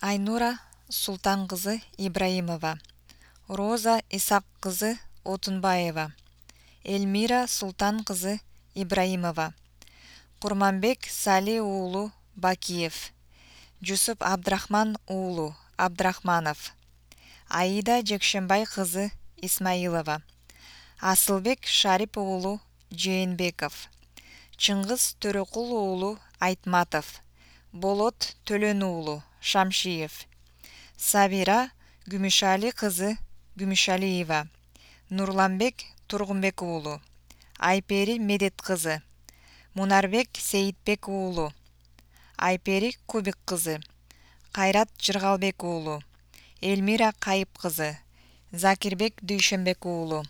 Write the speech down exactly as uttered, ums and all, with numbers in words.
Айнура Султан кызы Ибраимова, Роза Исак кызы Отунбаева, Эльмира Султан кызы Ибраимова, Курманбек Сали уулу Бакиев, Жусуп Абдрахман уулу Абдрахманов, Аида Жекшенбай кызы Исмаилова, Асылбек Шарип уулу Жээнбеков, Чыңгыз Төрөкул уулу Айтматов, Болот Төлөн уулу Шамшиев, Сабира Күмүшали кызы Күмүшалиева, Нурланбек Тургунбек уулу, Айпери Медет кызы, Мунарбек Сейитбек уулу, Айпери Кубик кызы, Кайрат Жыргалбек уулу, Эльмира Кайып кызы, Закирбек Дүйшөнбек уулу.